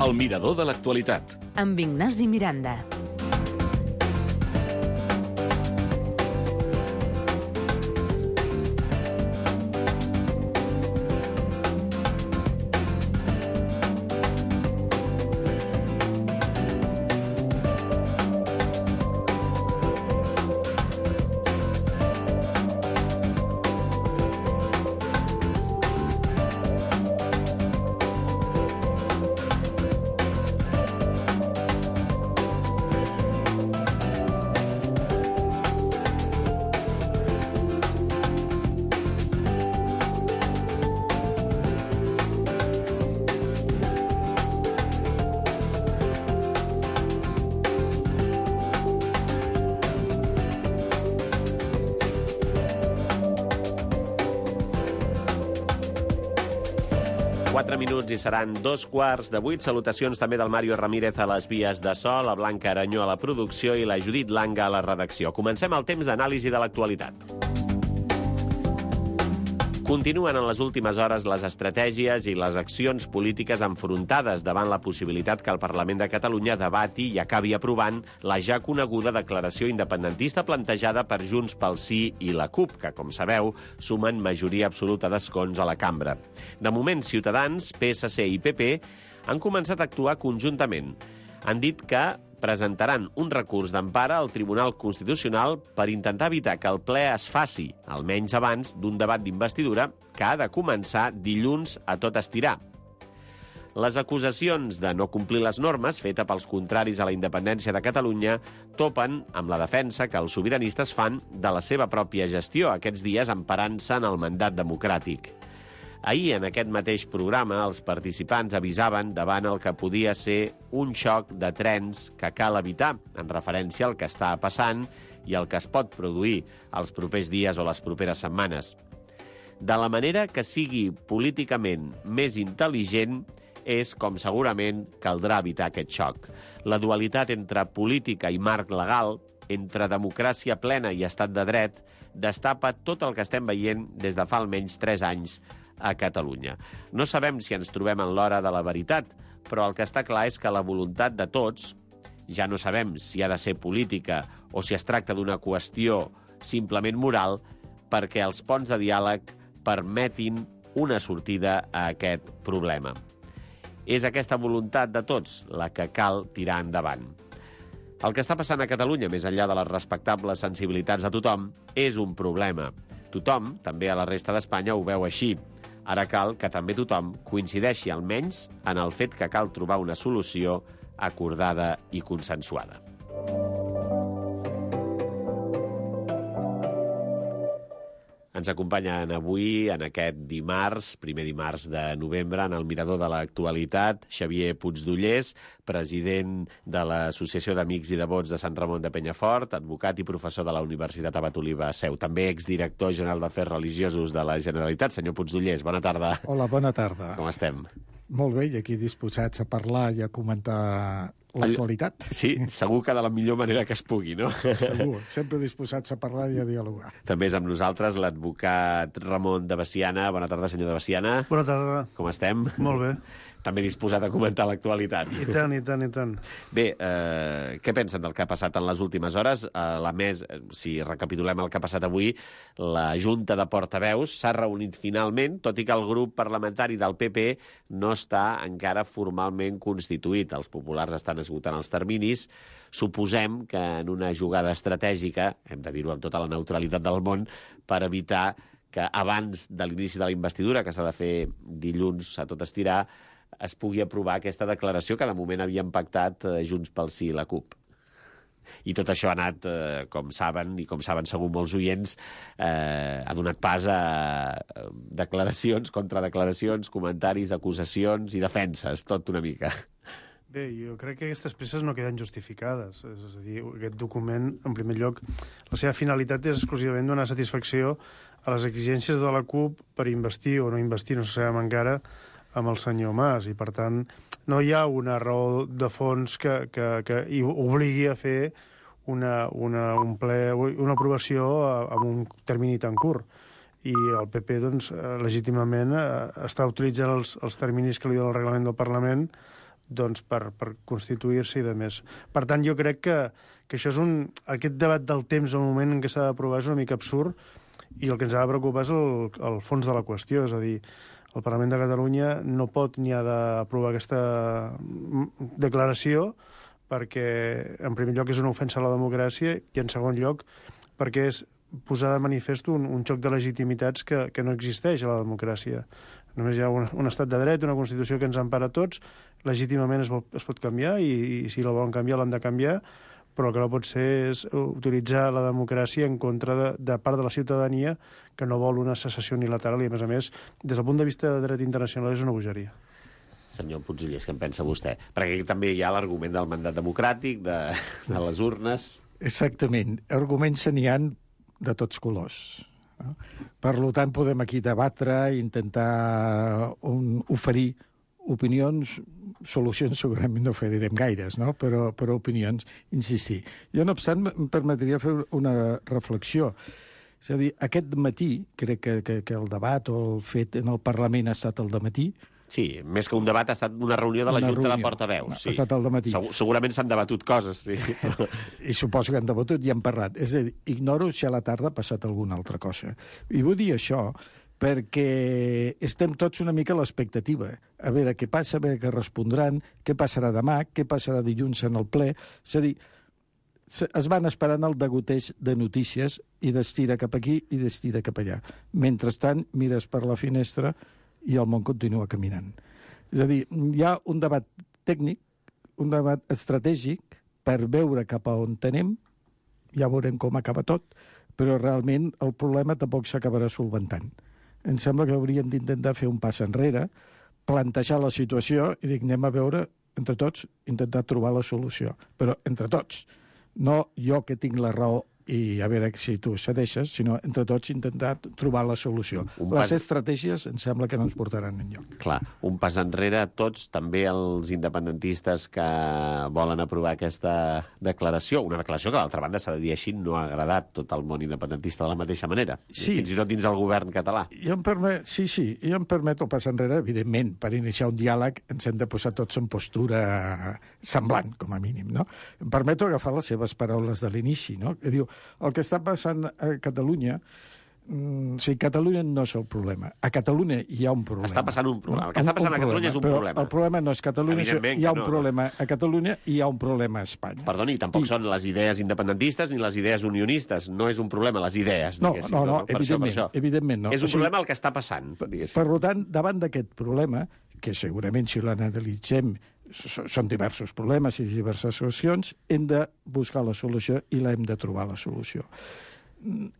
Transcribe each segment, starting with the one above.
El mirador de l'actualitat. Amb Ignasi Miranda. Minuts i seran 2:15. Salutacions també del Mario Ramírez a les vies de so, la Blanca Aranyó a la producció i la Judit Langa a la redacció. Comencem el temps d'anàlisi de l'actualitat. Continuen en les últimes hores les estratègies i les accions polítiques enfrontades davant la possibilitat que el Parlament de Catalunya debati i acabi aprovant la ja coneguda declaració independentista plantejada per Junts pel Sí i la CUP, que, com sabeu, sumen majoria absoluta d'escons a la cambra. De moment, Ciutadans, PSC i PP han començat a actuar conjuntament. Han dit que presentaran un recurs d'empara al Tribunal Constitucional per intentar evitar que el ple es faci, almenys abans d'un debat d'investidura que ha de començar dilluns a tot estirar. Les acusacions de no complir les normes, feta pels contraris a la independència de Catalunya, topen amb la defensa que els sobiranistes fan de la seva pròpia gestió, aquests dies emparant-se en el mandat democràtic. Ahir, en aquest mateix programa, els participants avisaven davant el que podia ser un xoc de trens que cal evitar, en referència al que està passant i el que es pot produir els propers dies o les properes setmanes. De la manera que sigui políticament més intel·ligent és com segurament caldrà evitar aquest xoc. La dualitat entre política i marc legal, entre democràcia plena i estat de dret, destapa tot el que estem veient des de fa almenys 3 anys a Catalunya. No sabem si ens trobem en l'hora de la veritat, però el que està clar és que la voluntat de tots, ja no sabem si ha de ser política o si es tracta d'una qüestió simplement moral, perquè els ponts de diàleg permetin una sortida a aquest problema. És aquesta voluntat de tots la que cal tirar endavant. El que està passant a Catalunya, més enllà de les respectables sensibilitats de tothom, és un problema. Tothom, també a la resta d'Espanya, ho veu així. Ara cal que també tothom coincideixi almenys en el fet que cal trobar una solució acordada i consensuada. Ens acompanyen avui, en aquest dimarts, primer dimarts de novembre, en el mirador de l'actualitat, Xavier Puigdollers, president de l'Associació d'Amics i Devots de Sant Ramon de Penyafort, advocat i professor de la Universitat Abat Oliba Seu, també exdirector general d'Afers Religiosos de la Generalitat. Senyor Puigdollers, bona tarda. Hola, bona tarda. Com estem? Molt bé, i aquí disposats a parlar i a comentar l'actualitat. Sí, segur que de la millor manera que es pugui, no? Segur, sempre disposats a parlar i a dialogar. També és amb nosaltres l'advocat Ramon de Veciana. Bona tarda, senyor de Veciana. Bona tarda. Com estem? Molt bé. També disposat a comentar l'actualitat. I tant, i tant, i tant. Bé, què pensen del que ha passat en les últimes hores? Si recapitulem el que ha passat avui, la Junta de Portaveus s'ha reunit finalment, tot i que el grup parlamentari del PP no està encara formalment constituït. Els populars estan esgotant els terminis. Suposem que en una jugada estratègica, hem de dir-ho amb tota la neutralitat del món, per evitar que abans de l'inici de la investidura, que s'ha de fer dilluns a tot estirar, es pugui aprovar aquesta declaració que de moment havien pactat Junts pel Sí i la CUP. I tot això ha anat, com saben, i com saben segur molts oients, ha donat pas a declaracions, contradeclaracions, comentaris, acusacions i defenses, tot una mica. Bé, jo crec que aquestes presses no queden justificades. És a dir, aquest document, en primer lloc, la seva finalitat és exclusivament donar satisfacció a les exigències de la CUP per investir o no investir, no se sabem encara, amb el senyor Mas, i per tant no hi ha una raó de fons que obligui a fer una aprovació amb un termini tan curt. I el PP, doncs, legítimament està utilitzant els terminis que li dona el reglament del Parlament doncs, per constituir-se i de més. Per tant, jo crec que això és aquest debat del temps al moment en què s'ha d'aprovar és una mica absurd, i el que ens ha de preocupar és el fons de la qüestió, és a dir, el Parlament de Catalunya no pot ni ha d'aprovar aquesta declaració perquè, en primer lloc, és una ofensa a la democràcia i, en segon lloc, perquè és posar de manifest un xoc de legitimitats que no existeix a la democràcia. Només hi ha un estat de dret, una Constitució que ens empara a tots, legítimament es pot canviar i si la volen canviar l'han de canviar, però el que no pot ser és utilitzar la democràcia en contra de part de la ciutadania que no vol una secessió unilateral i, a més, des del punt de vista de dret internacional és una bogeria. Senyor Puigdellers, què en pensa vostè? Perquè aquí també hi ha l'argument del mandat democràtic, de les urnes... Exactament. Arguments n'hi ha de tots colors. No? Per tant, podem aquí debatre, intentar oferir opinions, solucions segurament no oferirem gaires, no? però opinions, insistir. Jo, no obstant, em permetria fer una reflexió. És a dir, aquest matí, crec que el debat o el fet en el Parlament ha estat el dematí. Sí, més que un debat ha estat una reunió de la Junta de Portaveus. Sí. Ha estat el dematí. Segurament s'han debatut coses, sí. I suposo que han debatut i han parlat. És a dir, ignoro si a la tarda ha passat alguna altra cosa. I vull dir això perquè estem tots una mica a l'expectativa. A veure què passa, a veure què respondran, què passarà demà, què passarà dilluns en el ple. És a dir, es van esperant el degoteig de notícies i d'estira cap aquí i d'estira cap allà. Mentrestant, mires per la finestra i el món continua caminant. És a dir, hi ha un debat tècnic, un debat estratègic per veure cap a on anem, ja veurem com acaba tot, però realment el problema tampoc s'acabarà solventant. Em sembla que hauríem d'intentar fer un pas enrere, plantejar la situació i dir, anem a veure, entre tots, intentar trobar la solució. Però entre tots, no jo que tinc la raó i a veure si tu cedeixes, sinó entre tots intentar trobar la solució. Les estratègies em sembla que no ens portaran enlloc. Clar, un pas enrere tots, també els independentistes que volen aprovar aquesta declaració, una declaració que d'altra banda s'ha de dir així, no ha agradat tot el món independentista de la mateixa manera, sí. Fins i tot dins del govern català. Jo em permeto el pas enrere, evidentment, per iniciar un diàleg ens hem de posar tots en postura semblant, com a mínim, no? Em permeto agafar les seves paraules de l'inici, no? Que diu, el que està passant a Catalunya, Catalunya no és el problema. A Catalunya hi ha un problema. Està passant un problema. El que està passant a Catalunya és un problema. El problema no és Catalunya, hi ha un problema a Catalunya i hi ha un problema a Espanya. Perdoni, tampoc són les idees independentistes ni les idees unionistes. No és un problema, les idees, diguéssim. No, evidentment no. És un problema el que està passant, diguéssim. Per tant, davant d'aquest problema, que segurament si l'analitzem són diversos problemes i diverses solucions, hem de buscar la solució i l'hem de trobar la solució.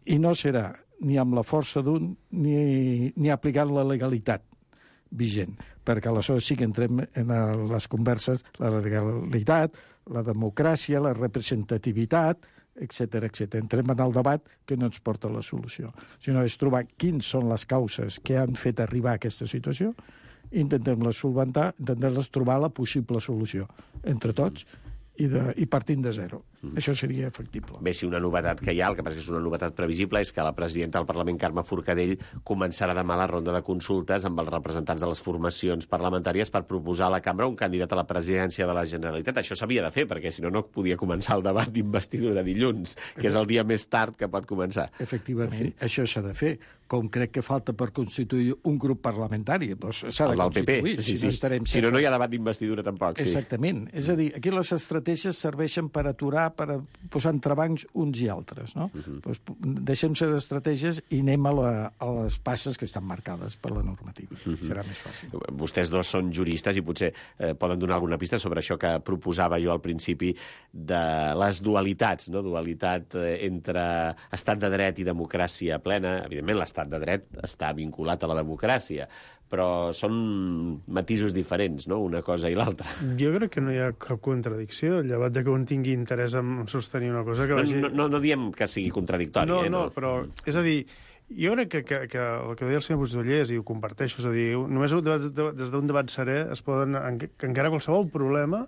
I no serà ni amb la força d'un ni aplicant la legalitat vigent, perquè aleshores sí que entrem en les converses, la legalitat, la democràcia, la representativitat, etc. Entrem en el debat que no ens porta a la solució, sinó és trobar quines són les causes que han fet arribar a aquesta situació, intentem-les solventar, intentem-les trobar la possible solució entre tots i partint de zero. Això seria factible. Bé, si una novetat que hi ha, el que passa que és una novetat previsible, és que la presidenta del Parlament, Carme Forcadell, començarà demà la ronda de consultes amb els representants de les formacions parlamentàries per proposar a la cambra un candidat a la presidència de la Generalitat. Això s'havia de fer, perquè si no, no podia començar el debat d'investidura dilluns, que és el dia més tard que pot començar. Efectivament, això s'ha de fer. Com crec que falta per constituir un grup parlamentari, doncs s'ha de constituir. Si no, no hi ha debat d'investidura tampoc. Exactament. És a dir, aquí les estratègies serveixen per aturar, per posar entrebancs uns i altres, no? Doncs deixem-se d'estratègies i anem a les passes que estan marcades per la normativa. Serà més fàcil. Vostès dos són juristes i potser poden donar alguna pista sobre això que proposava jo al principi de les dualitats, no? Dualitat entre estat de dret i democràcia plena. Evidentment, l'estat de dret està vinculat a la democràcia, però són matisos diferents, no?, una cosa i l'altra. Jo crec que no hi ha cap contradicció, llevat de que un tingui interès en sostenir una cosa que vagi... No diem que sigui contradictori. No, però, és a dir, jo crec que el que deia el senyor Puigdellers, i ho comparteixo, és a dir, només des d'un debat serè es poden encarar qualsevol problema,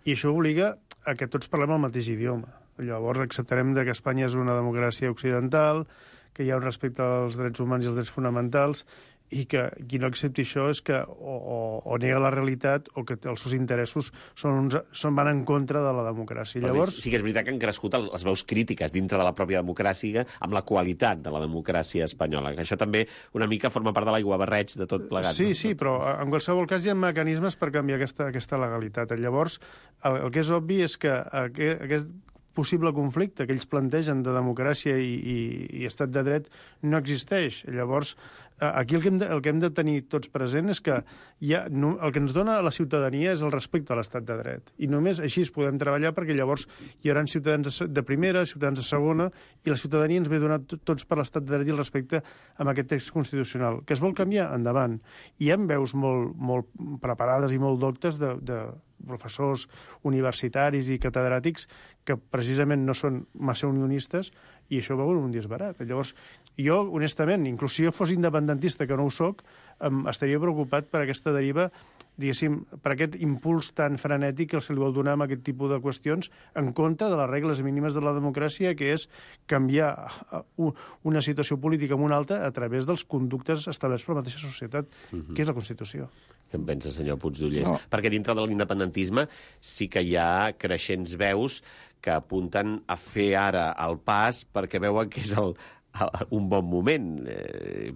i això obliga a que tots parlem el mateix idioma. Llavors acceptarem que Espanya és una democràcia occidental, que hi ha un respecte als drets humans i als drets fonamentals, i que qui no accepti això és que o nega la realitat o que els seus interessos van en contra de la democràcia. Llavors... Sí que és veritat que han crescut les veus crítiques dintre de la pròpia democràcia amb la qualitat de la democràcia espanyola, que això també una mica forma part de l'aiguabarreig de tot plegat. Sí, sí, però en qualsevol cas hi ha mecanismes per canviar aquesta legalitat. Llavors, el que és obvi és que aquest possible conflicte que ells plantegen de democràcia i estat de dret no existeix. Llavors, aquí el que hem de tenir tots present és que el que ens dona la ciutadania és el respecte a l'estat de dret. I només així podem treballar, perquè llavors hi haurà ciutadans de primera, ciutadans de segona, i la ciutadania ens ve donat tots per l'estat de dret i el respecte amb aquest text constitucional. Que es vol canviar? Endavant. Hi ha veus molt preparades i molt doctes de professors universitaris i catedràtics que precisament no són massa unionistes, i això veuen un disbarat. Llavors, jo, honestament, inclús si jo fos independentista, que no ho soc, estaria preocupat per aquesta deriva, diguéssim, per aquest impuls tan frenètic que se li vol donar amb aquest tipus de qüestions en compte de les regles mínimes de la democràcia, que és canviar una situació política amb una altra a través dels conductes establerts per la mateixa societat, que és la Constitució. Què en pensa, senyor Puigdollers? No. Perquè dintre de l'independentisme sí que hi ha creixents veus que apunten a fer ara el pas perquè veuen que és un bon moment.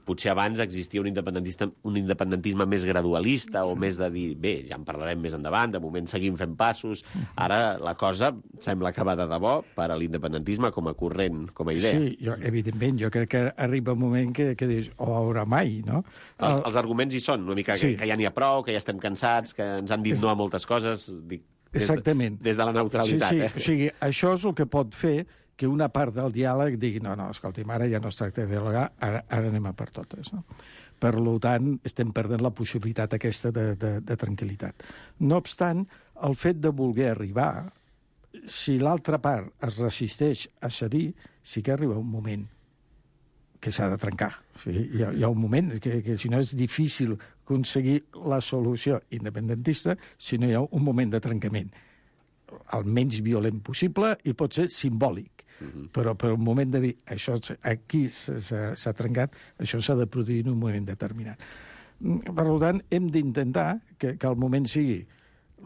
Potser abans existia un independentisme més gradualista o més de dir, bé, ja en parlarem més endavant, de moment seguim fent passos. Ara la cosa sembla que va de debò per a l'independentisme com a corrent, com a idea. Sí, evidentment, jo crec que arriba un moment que dius, haurà mai, no? Els arguments hi són, una mica que ja n'hi ha prou, que ja estem cansats, que ens han dit no a moltes coses, exactament. Des de la neutralitat. Sí. O sigui, això és el que pot fer que una part del diàleg digui no, escolti'm, ara ja no es tracta de dialogar, ara anem a per totes. No? Per tant, estem perdent la possibilitat aquesta de tranquil·litat. No obstant, el fet de voler arribar, si l'altra part es resisteix a cedir, sí que arriba un moment que s'ha de trencar. O sigui, hi ha un moment que si no és difícil aconseguir la solució independentista, si no hi ha un moment de trencament el menys violent possible i pot ser simbòlic. Però per un moment de dir això aquí s'ha trencat, això s'ha de produir en un moment determinat. Per tant, hem d'intentar que el moment sigui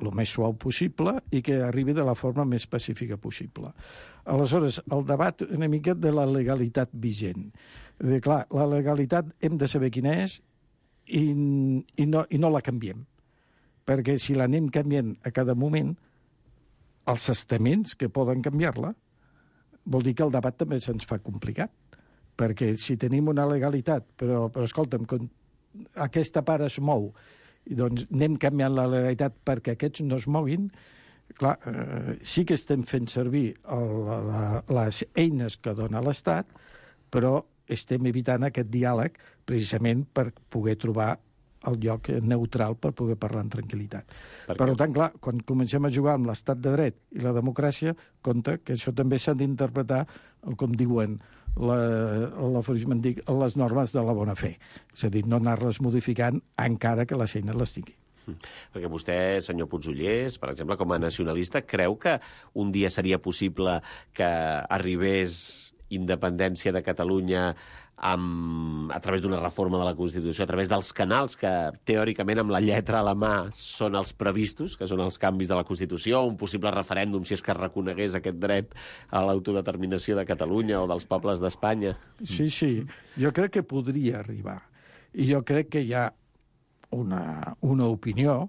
el més suau possible i que arribi de la forma més pacífica possible. Aleshores, el debat una mica de la legalitat vigent. Clar, la legalitat hem de saber quina és i no la canviem. Perquè si l'anem canviant a cada moment, els estaments que poden canviar-la, vol dir que el debat també se'ns fa complicat. Perquè si tenim una legalitat, però escolta'm, aquesta part es mou, i doncs anem canviant la legalitat perquè aquests no es moguin, clar, sí que estem fent servir les eines que dona l'Estat, però estem evitant aquest diàleg precisament per poder trobar el lloc neutral per poder parlar en tranquil·litat. Per tant, clar, quan comencem a jugar amb l'estat de dret i la democràcia, compte que això també s'ha d'interpretar, com diuen les normes de la bona fe. És a dir, no anar-les modificant encara que les eines les tingui. Perquè vostè, senyor Puigdollers, per exemple, com a nacionalista, creu que un dia seria possible que arribés independència de Catalunya a través d'una reforma de la Constitució, a través dels canals que, teòricament, amb la lletra a la mà són els previstos, que són els canvis de la Constitució, un possible referèndum si és que reconegués aquest dret a l'autodeterminació de Catalunya o dels pobles d'Espanya? Sí, jo crec que podria arribar. I jo crec que hi ha una opinió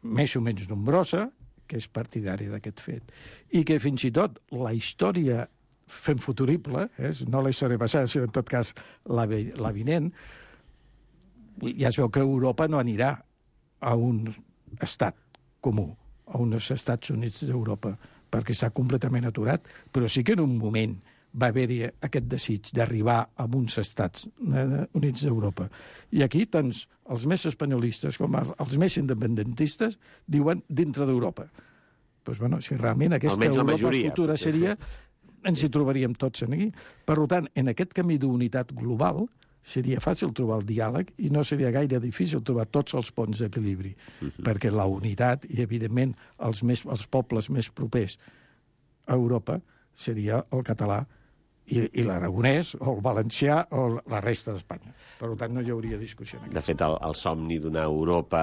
més o menys nombrosa que és partidària d'aquest fet. I que fins i tot la història fent futurible, no la història passada, sinó en tot cas la vinent, ja es veu que Europa no anirà a un estat comú, a uns Estats Units d'Europa, perquè està completament aturat, però sí que en un moment va haver-hi aquest desig d'arribar a uns Estats Units d'Europa. I aquí tant els més espanyolistes com els més independentistes diuen dintre d'Europa. Doncs, bueno, si realment aquesta Europa futura seria... ens hi trobaríem tots aquí. Per tant, en aquest camí d'unitat global seria fàcil trobar el diàleg i no seria gaire difícil trobar tots els ponts d'equilibri, perquè la unitat i, evidentment, els pobles més propers a Europa seria el català i l'aragonès, o el valencià, o la resta d'Espanya. Per tant, no hi hauria discussió. De fet, el somni d'una Europa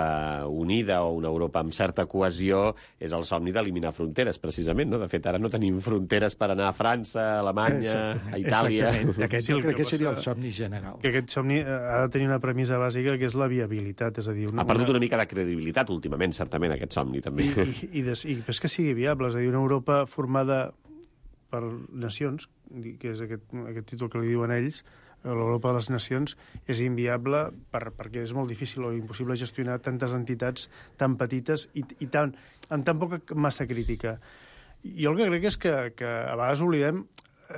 unida o una Europa amb certa cohesió és el somni d'eliminar fronteres, precisament, no? De fet, ara no tenim fronteres per anar a França, a Alemanya, a Itàlia... Exactament. Aquest jo crec que seria el somni general. Que aquest somni ha de tenir una premissa bàsica, que és la viabilitat. És a dir, ha perdut una mica de credibilitat últimament, certament, aquest somni, també. I és que sigui viable. És a dir, una Europa formada per nacions, que és aquest títol que li diuen ells, l'Europa de les nacions, és inviable perquè és molt difícil o impossible gestionar tantes entitats tan petites i amb tan poca massa crítica. Jo el que crec és que a vegades oblidem,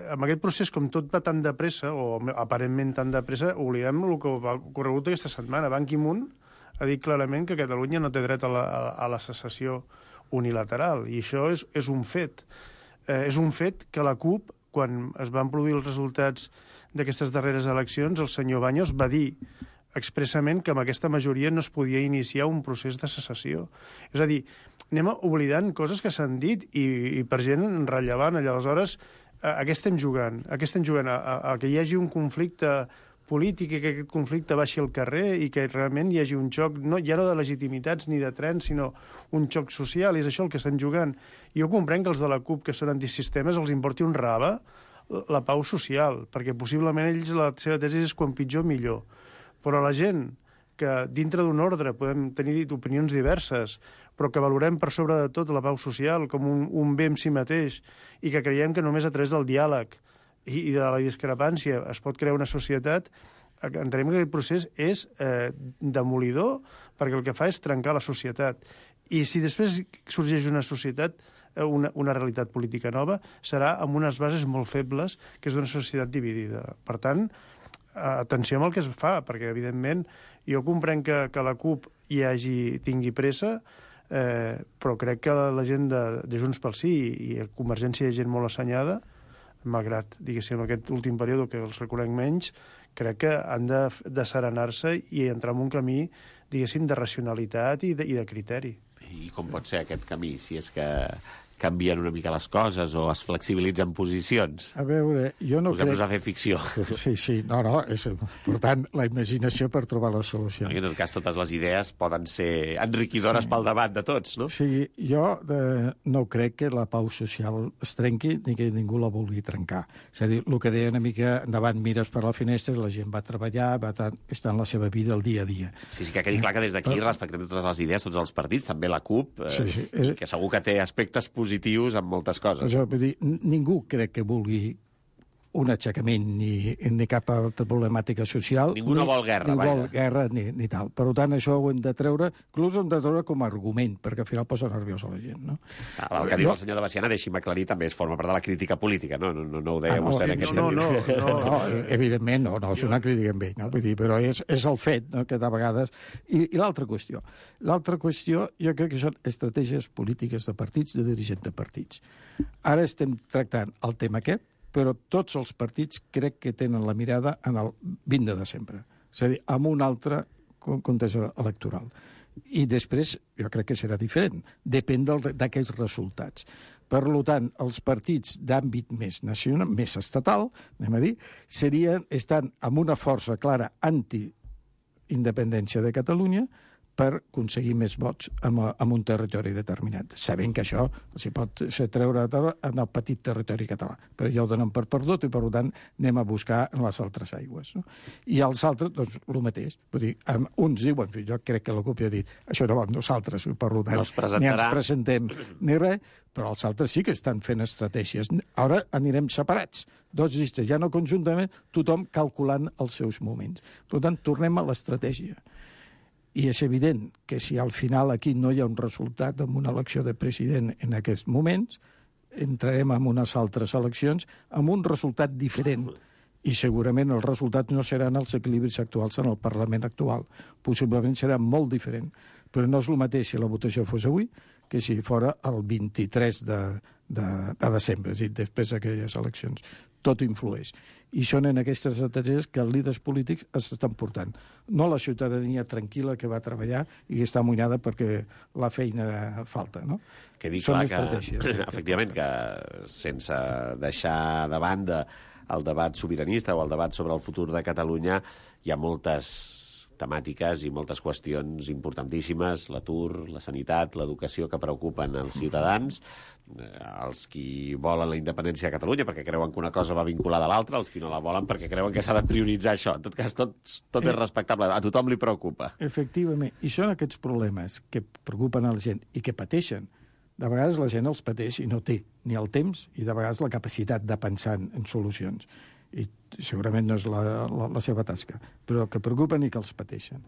amb aquest procés, com tot va tan de pressa, o aparentment tan de pressa, oblidem el que ha ocorregut aquesta setmana. Ban Ki-moon ha dit clarament que Catalunya no té dret a la secessió unilateral, i això és un fet. És un fet que la CUP, quan es van produir els resultats d'aquestes darreres eleccions, el senyor Baños va dir expressament que amb aquesta majoria no es podia iniciar un procés de secessió. És a dir, anem oblidant coses que s'han dit i per gent rellevant. Aleshores, a què estem jugant? A què estem jugant? A que hi hagi un conflicte polític i que aquest conflicte baixi al carrer i que realment hi hagi un xoc, ja no de legitimitats ni de trens, sinó un xoc social, i és això el que estan jugant. Jo comprenc que els de la CUP, que són antisistemes, els importi un rave la pau social, perquè possiblement ells la seva tesi és quan pitjor, millor. Però la gent que dintre d'un ordre podem tenir opinions diverses, però que valorem per sobre de tot la pau social com un bé en si mateix i que creiem que només a través del diàleg i de la discrepància es pot crear una societat, entenem que aquest procés és demolidor, perquè el que fa és trencar la societat. I si després sorgeix una societat, una realitat política nova, serà amb unes bases molt febles, que és d'una societat dividida. Per tant, atenció amb el que es fa, perquè, evidentment, jo comprenc que la CUP tingui pressa, però crec que la gent de Junts pel Sí i Convergència hi ha gent molt assenyada, malgrat, diguéssim, aquest últim període que els reconec menys, crec que han de serenar-se i entrar en un camí, diguéssim, de racionalitat i de criteri. I com pot ser aquest camí, si és que canvien una mica les coses o es flexibilitzen posicions? A veure, jo no crec... Posem-nos a fer ficció. Sí, no, és important la imaginació per trobar la solució. En tot cas, totes les idees poden ser enriquidores pel debat de tots, no? Sí, jo no crec que la pau social es trenqui ni que ningú la vulgui trencar. És a dir, el que deia una mica, endavant mires per la finestra, la gent va treballar, està en la seva vida el dia a dia. Sí, que quedi clar que des d'aquí respectem totes les idees, tots els partits, també la CUP, que segur que té aspectes positius en moltes coses. Això, vull dir, ningú crec que vulgui un aixecament ni cap altra problemàtica social. Ningú no vol guerra, vaja. Ni vol guerra ni tal. Per tant, això ho hem de treure, inclús ho hem de treure com a argument, perquè al final posa nerviosa la gent, no? El que diu el senyor de Baciana, deixi'm aclarir, també forma part de la crítica política, no ho deia vostè en aquest sentit. No, evidentment no, és una crítica amb ell, no? Vull dir, però és el fet, no?, que de vegades... I l'altra qüestió. L'altra qüestió, jo crec que són estratègies polítiques de partits, de dirigents de partits. Ara estem tractant el tema aquest, però tots els partits crec que tenen la mirada en el 20 de desembre, és a dir, amb un altre context electoral. I després jo crec que serà diferent, depèn d'aquells resultats. Per tant, els partits d'àmbit més nacional, més estatal, anem a dir, estan amb una força clara anti-independència de Catalunya, per aconseguir més vots en un territori determinat, sabent que això s'hi pot treure en el petit territori català. Però ja ho donen per perdut i, per tant, anem a buscar en les altres aigües. No? I els altres, doncs, el mateix. Vull dir, uns diuen, jo crec que la CUP ja ha dit, això no va amb nosaltres, per tant, ni ens presentem ni res, però els altres sí que estan fent estratègies. Ara anirem separats, dos llistes, ja no conjuntament, tothom calculant els seus moments. Per tant, tornem a l'estratègia. I és evident que si al final aquí no hi ha un resultat en una elecció de president en aquests moments, entrarem en unes altres eleccions amb un resultat diferent. I segurament els resultats no seran els equilibris actuals en el Parlament actual. Possiblement serà molt diferent. Però no és el mateix si la votació fos avui que si fora el 23 de desembre, és a dir, després d'aquelles eleccions. Tot influeix. I són en aquestes estratègies que els líders polítics estan portant. No la ciutadania tranquil·la que va treballar i que està amoïnada perquè la feina falta, no? Que dic clar que, efectivament, que sense deixar de banda el debat sobiranista o el debat sobre el futur de Catalunya, hi ha moltes temàtiques i moltes qüestions importantíssimes, l'atur, la sanitat, l'educació, que preocupen els ciutadans, els qui volen la independència de Catalunya perquè creuen que una cosa va vinculada a l'altra, els qui no la volen perquè creuen que s'ha de prioritzar això. En tot cas, tot és respectable, a tothom li preocupa. Efectivament, i són aquests problemes que preocupen a la gent i que pateixen. De vegades la gent els pateix i no té ni el temps i de vegades la capacitat de pensar en solucions. I segurament no és la seva tasca, però que preocupen i que els pateixen.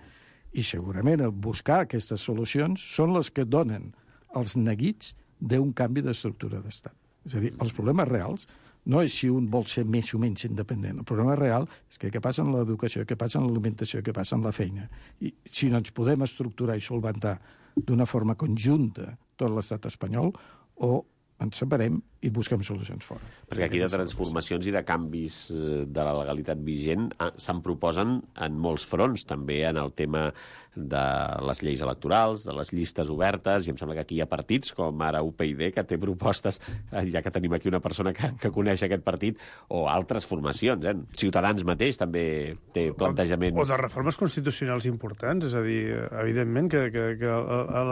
I segurament el buscar aquestes solucions són les que donen els neguits d'un canvi d'estructura d'estat. És a dir, els problemes reals no és si un vol ser més o menys independent. El problema real és que què passa en l'educació, què passa en l'alimentació, què passa en la feina. I si no ens podem estructurar i solventar d'una forma conjunta tot l'estat espanyol, o ens separem i busquem solucions fora. Perquè aquí de transformacions i de canvis de la legalitat vigent se'n proposen en molts fronts, també en el tema de les lleis electorals, de les llistes obertes, i em sembla que aquí hi ha partits, com ara UPyD, que té propostes, ja que tenim aquí una persona que coneix aquest partit, o altres formacions. Ciutadans mateix també té plantejaments. O de reformes constitucionals importants, és a dir, evidentment que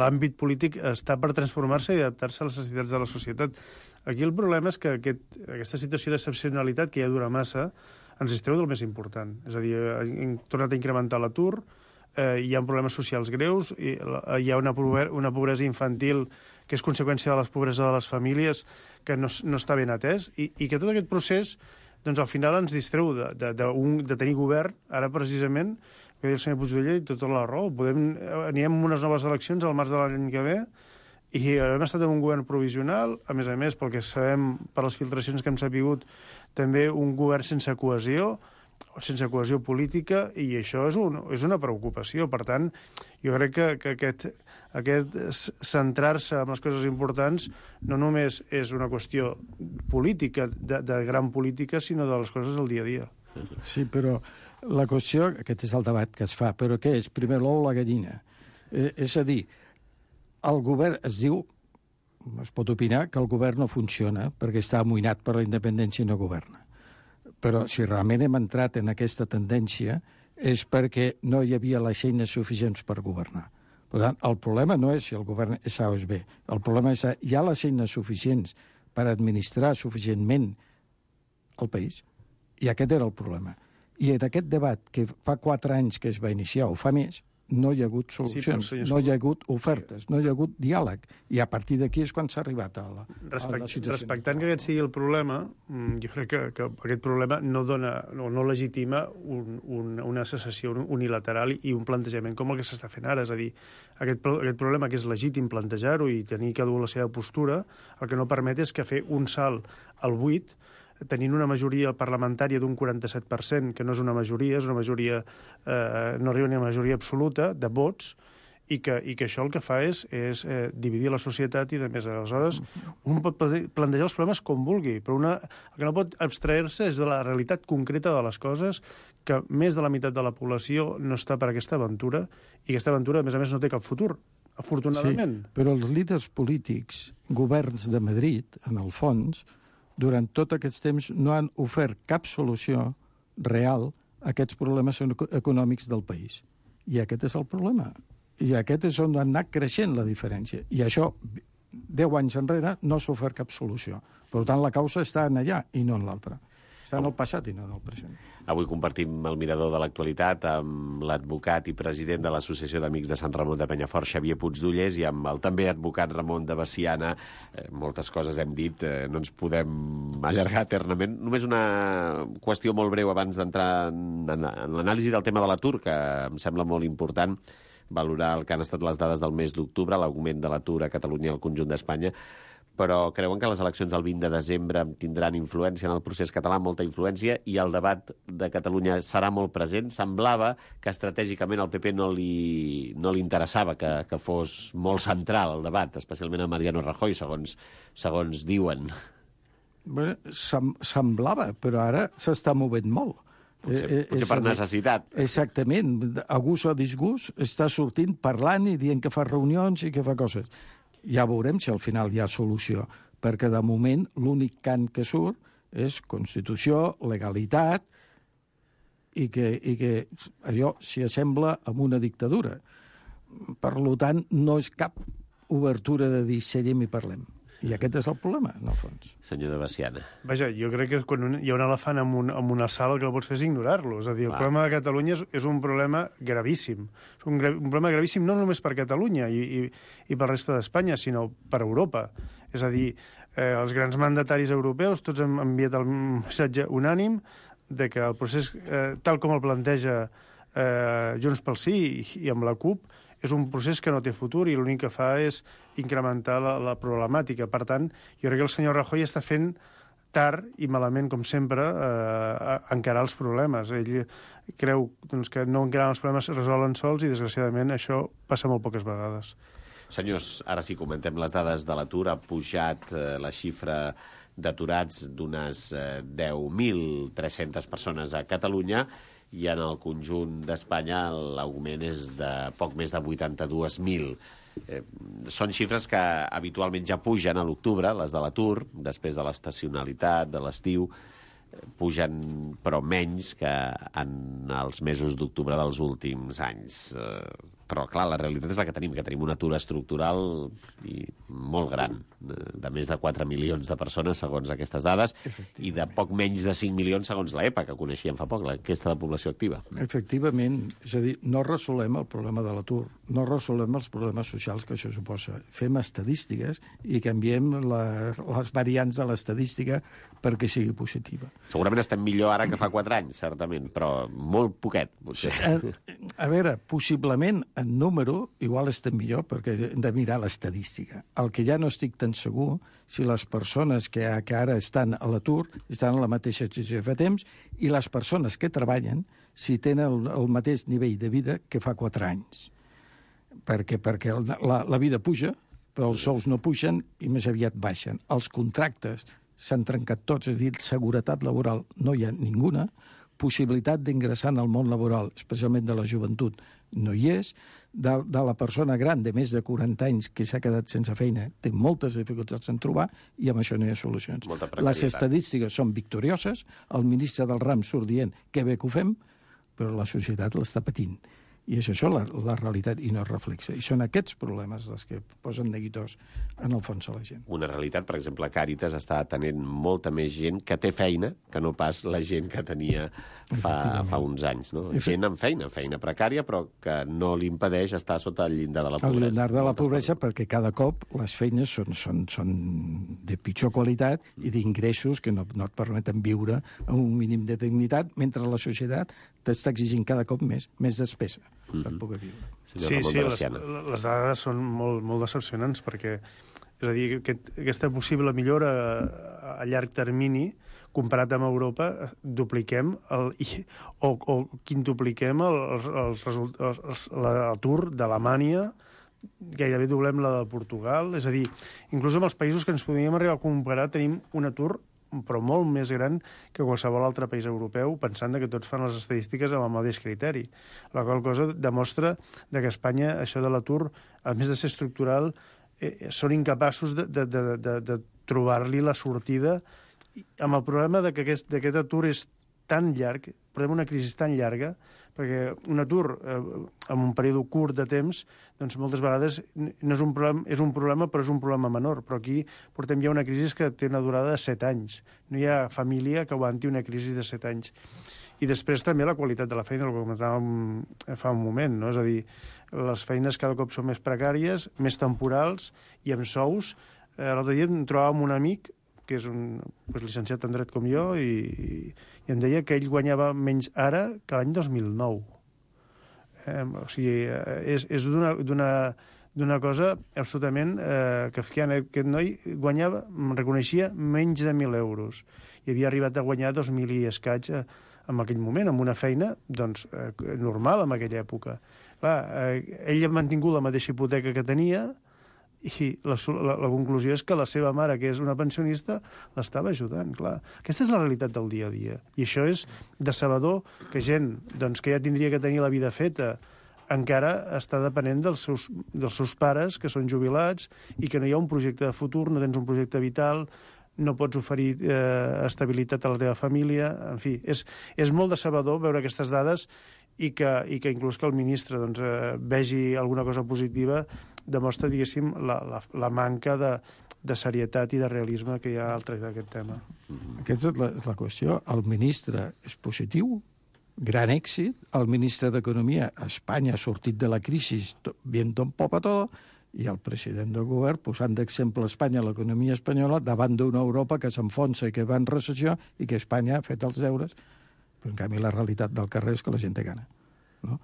l'àmbit polític està per transformar-se i adaptar-se a les necessitats de la societat. Aquí el problema és que aquesta situació d'excepcionalitat, que ja dura massa, ens distreu del més important. És a dir, hem tornat a incrementar l'atur, hi ha problemes socials greus, hi ha una pobresa infantil que és conseqüència de la pobresa de les famílies que no està ben atès, i que tot aquest procés doncs, al final ens distreu de tenir govern, ara precisament, que deia el senyor Puigdellé, i tota la raó. Anirem a unes noves eleccions al març de l'any que ve, i hem estat en un govern provisional, a més, pel que sabem, per les filtracions que hem sapigut, també un govern sense cohesió política, i això és una preocupació. Per tant, jo crec que aquest centrar-se en les coses importants no només és una qüestió política, de gran política, sinó de les coses del dia a dia. Sí, però la qüestió, aquest és el debat que es fa, però què és? Primer l'ou o la gallina? És a dir, el govern es diu, es pot opinar, que el govern no funciona perquè està amoïnat per la independència i no governa. Però si realment hem entrat en aquesta tendència és perquè no hi havia les eines suficients per governar. Per tant, el problema no és si el govern és A o és B. El problema és que hi ha les eines suficients per administrar suficientment el país. I aquest era el problema. I en aquest debat, que fa 4 anys que es va iniciar, o fa més, no hi ha hagut solucions, no hi ha hagut ofertes, no hi ha hagut diàleg. I a partir d'aquí és quan s'ha arribat a la situació. Respectant que aquest sigui el problema, jo crec que aquest problema no dona o no legitima una secessió unilateral i un plantejament com el que s'està fent ara. És a dir, aquest problema que és legítim plantejar-ho i tenir que dur la seva postura, el que no permet és que fer un salt al buit tenint una majoria parlamentària d'un 47%, que no és una majoria, no arriba ni a una majoria absoluta de vots, i que això el que fa és dividir la societat i, de més, aleshores, un pot plantejar els problemes com vulgui, però el que no pot abstrair-se és de la realitat concreta de les coses, que més de la meitat de la població no està per aquesta aventura, i aquesta aventura, a més, no té cap futur, afortunadament. Sí, però els líders polítics, governs de Madrid, en el fons, durant tot aquest temps no han ofert cap solució real a aquests problemes econòmics del país. I aquest és el problema. I aquest és on ha anat creixent la diferència. I això, 10 anys enrere, no s'ha ofert cap solució. Per tant, la causa està en allà i no en l'altra. Està en el passat i no en el present. Avui compartim el mirador de l'actualitat amb l'advocat i president de l'Associació d'Amics de Sant Ramon de Penyafort, Xavier Puigdollers, i amb el també advocat Ramon de Veciana. Moltes coses hem dit, no ens podem allargar eternament. Només una qüestió molt breu abans d'entrar en l'anàlisi del tema de l'atur, que em sembla molt important valorar el que han estat les dades del mes d'octubre, l'augment de l'atur a Catalunya i al conjunt d'Espanya. Però creuen que les eleccions del 20 de desembre tindran influència en el procés català, molta influència, i el debat de Catalunya serà molt present. Semblava que estratègicament al PP no li interessava que fos molt central el debat, especialment a Mariano Rajoy, segons diuen. Bé, semblava, però ara s'està movent molt. Potser per necessitat. Exactament. A gust o a disgust està sortint, parlant i dient que fa reunions i que fa coses. Ja veurem si al final hi ha solució, perquè de moment l'únic cant que surt és Constitució, legalitat, i que allò s'hi assembla amb una dictadura. Per tant, no és cap obertura de dir seiem i parlem. I aquest és el problema, en el fons. Senyor de Veciana. Vaja, jo crec que quan hi ha un elefant en una sala, el que no pots fer és ignorar-lo. És a dir, el problema de Catalunya és un problema gravíssim. És un problema gravíssim no només per Catalunya i per la resta d'Espanya, sinó per Europa. És a dir, els grans mandataris europeus tots han enviat el missatge unànim de que el procés, tal com el planteja Junts pel Sí i amb la CUP, és un procés que no té futur i l'únic que fa és incrementar la problemàtica. Per tant, jo crec que el senyor Rajoy està fent tard i malament, com sempre, encarar els problemes. Ell creu que no encarant els problemes es resolen sols i, desgraciadament, això passa molt poques vegades. Senyors, ara sí comentem les dades de l'atur. Ha pujat la xifra d'aturats d'unes 10.300 persones a Catalunya i en el conjunt d'Espanya l'augment és de poc més de 82.000. Són xifres que habitualment ja pugen a l'octubre, les de l'atur, després de l'estacionalitat, de l'estiu, pugen però menys que en els mesos d'octubre dels últims anys. Però, clar, la realitat és la que tenim un atur estructural i molt gran, de més de 4 milions de persones, segons aquestes dades, i de poc menys de 5 milions, segons l'EPA, que coneixíem fa poc, l'enquesta de població activa. Efectivament, és a dir, no resolem el problema de l'atur, no resolem els problemes socials que això suposa. Fem estadístiques i canviem les variants de l'estadística perquè sigui positiva. Segurament estem millor ara que fa 4 anys, certament, però molt poquet, potser. A veure, possiblement en número igual estem millor perquè hem de mirar l'estadística. El que ja no estic tan segur si les persones que ara estan a l'atur estan en la mateixa situació que fa temps i les persones que treballen si tenen el mateix nivell de vida que fa 4 anys. Perquè la vida puja, però els sous no pugen i més aviat baixen. Els contractes s'han trencat tots, és a dir, seguretat laboral no hi ha ninguna, possibilitat d'ingressar en el món laboral, especialment de la joventut, no hi és. De la persona gran de més de 40 anys que s'ha quedat sense feina té moltes dificultats en trobar i amb això no hi ha solucions. Les estadístiques són victorioses, el ministre del RAM surt dient que bé que ho fem, però la societat l'està patint. I és això la realitat i no es reflexa. I són aquests problemes els que posen neguitós en el fons a la gent. Una realitat, per exemple, Càritas està atenent molta més gent que té feina que no pas la gent que tenia fa uns anys. No? Gent amb feina precària, però que no li impedeix estar sota el llindar de la pobresa. El llindar de la pobresa perquè cada cop les feines són de pitjor qualitat i d'ingressos que no et permeten viure amb un mínim de dignitat, mentre la societat t'està exigint cada cop més despesa per poder viure. Sí, les dades són molt decepcionants perquè, és a dir, aquesta possible millora a llarg termini comparat amb Europa, dupliquem o quintupliquem l'atur d'Alemanya, gairebé doblem la de Portugal, és a dir, inclús amb els països que ens podríem arribar a comparar tenim un atur però molt més gran que qualsevol altre país europeu, pensant que tots fan les estadístiques amb el mateix criteri. La qual cosa demostra que a Espanya això de l'atur, a més de ser estructural, són incapaços de trobar-li la sortida amb el problema que aquest atur és tan llarg, portem una crisi tan llarga, perquè un atur en un període curt de temps, doncs moltes vegades no és un problema, però és un problema menor. Però aquí portem ja una crisi que té una durada de 7 anys. No hi ha família que aguanti una crisi de 7 anys. I després també la qualitat de la feina, el que comentàvem fa un moment, no? És a dir, les feines cada cop són més precàries, més temporals i amb sous. L'altre dia em trobava amb un amic que és llicenciat en dret com jo, i em deia que ell guanyava menys ara que l'any 2009. O sigui, és d'una cosa absolutament kafkiana. Aquest noi guanyava, em reconeixia, menys de 1.000 euros. I havia arribat a guanyar 2.000 i escaig en aquell moment, amb una feina normal en aquella època. Clar, ell ha mantingut la mateixa hipoteca que tenia, i la conclusió és que la seva mare, que és una pensionista, l'estava ajudant, clar. Aquesta és la realitat del dia a dia. I això és decebedor que gent que ja tindria que tenir la vida feta encara està depenent dels seus pares, que són jubilats, i que no hi ha un projecte de futur, no tens un projecte vital, no pots oferir estabilitat a la teva família. En fi, és molt decebedor veure aquestes dades i que inclús que el ministre doncs, vegi alguna cosa positiva demostra, diguéssim, la manca de serietat i de realisme que hi ha al tractar d'aquest tema. Aquesta és la qüestió. El ministre és positiu, gran èxit. El ministre d'Economia a Espanya ha sortit de la crisi viento un poco a tot, i el president del govern posant d'exemple a Espanya l'economia espanyola davant d'una Europa que s'enfonsa i que va en recessió i que Espanya ha fet els deures, però en canvi la realitat del carrer és que la gent té gana. No?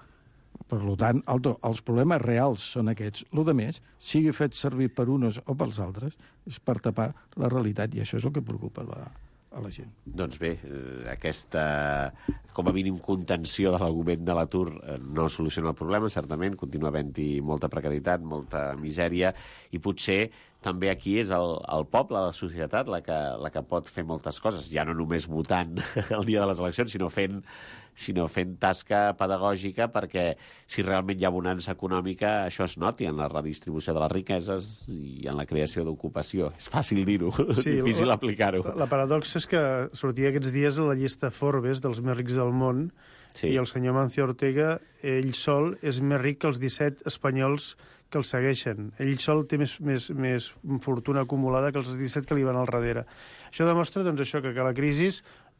Per tant, els problemes reals són aquests. El que més, sigui fet servir per uns o pels altres, és per tapar la realitat, i això és el que preocupa a la gent. Doncs bé, aquesta, com a mínim, contenció de l'augment de l'atur no soluciona el problema, certament, continua havent-hi molta precarietat, molta misèria, i potser també aquí és el poble, la societat, la que pot fer moltes coses, ja no només votant el dia de les eleccions, sinó fent tasca pedagògica, perquè si realment hi ha bonança econòmica, això es noti en la redistribució de les riqueses i en la creació d'ocupació. És fàcil dir-ho, sí, difícil aplicar-ho. La paradoxa és que sortia aquests dies a la llista Forbes dels més rics del món, sí. I el senyor Mancio Ortega, ell sol, és més ric que els 17 espanyols que el segueixen. Ell sol té més fortuna acumulada que els 17 que li van al darrere. Això demostra, doncs, això, que la crisi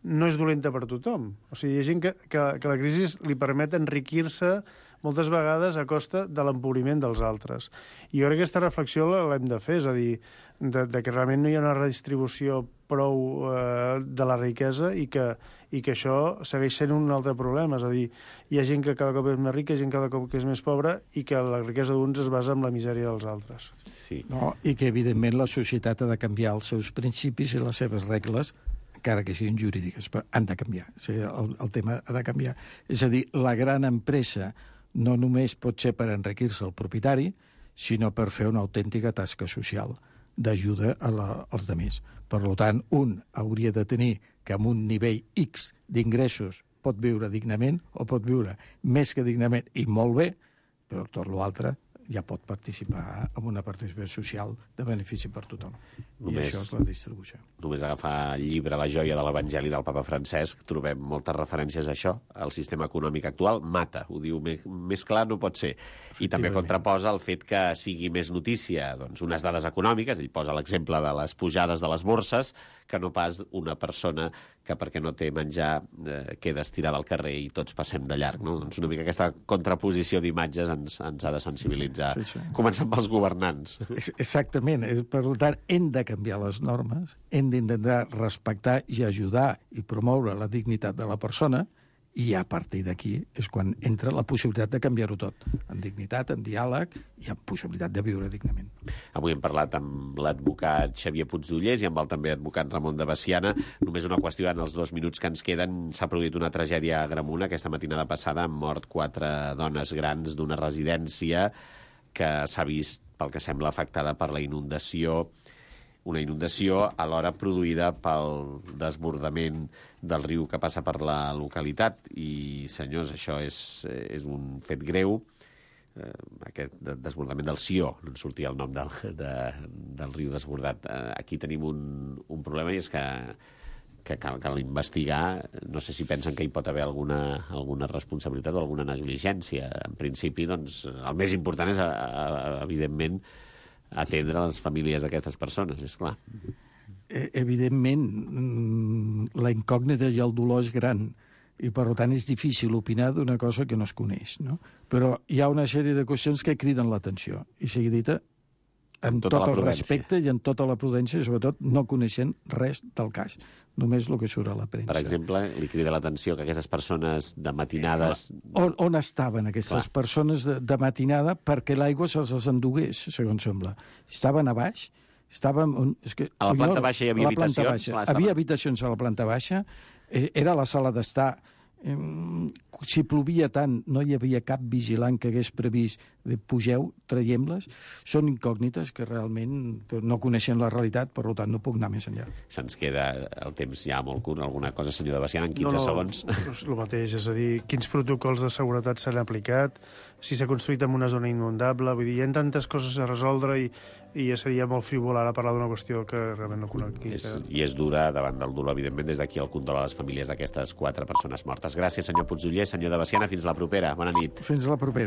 no és dolenta per tothom. O sigui, hi ha gent que la crisi li permet enriquir-se moltes vegades a costa de l'empobriment dels altres. I jo crec que aquesta reflexió l'hem de fer, és a dir, de que realment no hi ha una redistribució prou de la riquesa i que això segueix sent un altre problema. És a dir, hi ha gent que cada cop és més rica, gent cada cop que és més pobra i que la riquesa d'uns es basa en la misèria dels altres. Sí. No, i que, evidentment, la societat ha de canviar els seus principis i les seves regles, encara que siguin jurídiques, però han de canviar. O sigui, el tema ha de canviar. És a dir, la gran empresa no només pot ser per enriquir-se el propietari, sinó per fer una autèntica tasca social d'ajuda als altres. Per tant, un hauria de tenir que amb un nivell X d'ingressos pot viure dignament o pot viure més que dignament i molt bé, però tot l'altre ja pot participar en una participació social de benefici per tothom. I això és la distribució. Només agafar el llibre La joia de l'Evangeli del papa Francesc, trobem moltes referències a això. El sistema econòmic actual mata, ho diu més clar no pot ser. I també contraposa el fet que sigui més notícia doncs, unes dades econòmiques, ell posa l'exemple de les pujades de les borses, que no pas una persona que perquè no té menjar queda estirada al carrer i tots passem de llarg. No? Doncs una mica aquesta contraposició d'imatges ens ha de sensibilitzar. Sí. Començant pels governants. Exactament. Per tant, hem de canviar les normes, hem d'intentar respectar i ajudar i promoure la dignitat de la persona, i a partir d'aquí és quan entra la possibilitat de canviar-ho tot, en dignitat, en diàleg i en possibilitat de viure dignament. Avui hem parlat amb l'advocat Xavier Puigdollers i amb el també advocat Ramon de Veciana. Només una qüestió, en els 2 minuts que ens queden, s'ha produït una tragèdia a Agramunt aquesta matinada passada, han mort 4 dones grans d'una residència que s'ha vist, pel que sembla, afectada per la inundació, una inundació alhora produïda pel desbordament del riu que passa per la localitat. I, senyors, això és un fet greu. Aquest desbordament del Sió, no en sortia el nom del riu desbordat. Aquí tenim un problema, i és que cal investigar. No sé si pensen que hi pot haver alguna responsabilitat o alguna negligència. En principi, doncs, el més important és, evidentment, atendre les famílies d'aquestes persones, és clar. Evidentment, la incògnita i el dolor és gran, i per tant és difícil opinar d'una cosa que no es coneix, no? Però hi ha una sèrie de qüestions que criden l'atenció, i sigui dita amb tot el respecte i amb tota la prudència, sobretot no coneixent res del cas, només el que surt a la premsa. Per exemple, li crida l'atenció que aquestes persones de matinades... On estaven aquestes persones de matinada perquè l'aigua se'ls endugués, segons sembla? Estaven a baix? A la planta baixa hi havia habitacions? Havia habitacions a la planta baixa, era la sala d'estar. Si plovia tant, no hi havia cap vigilant que hagués previst pugeu, traiem-les, són incògnites que realment no coneixen la realitat, per tant no puc anar més enllà. Se'ns queda el temps ja molt curt. Alguna cosa, senyor de Baciana, en 15 segons? El mateix, és a dir, quins protocols de seguretat s'han aplicat, si s'ha construït en una zona inundable, vull dir, hi ha tantes coses a resoldre i ja seria molt frívol ara parlar d'una qüestió que realment no conec. I és dura davant del dolor, evidentment, des d'aquí el condol a les famílies d'aquestes 4 persones mortes. Gràcies, senyor Puigdoller. Senyor de Baciana, fins la propera. Bona nit. Fins la propera.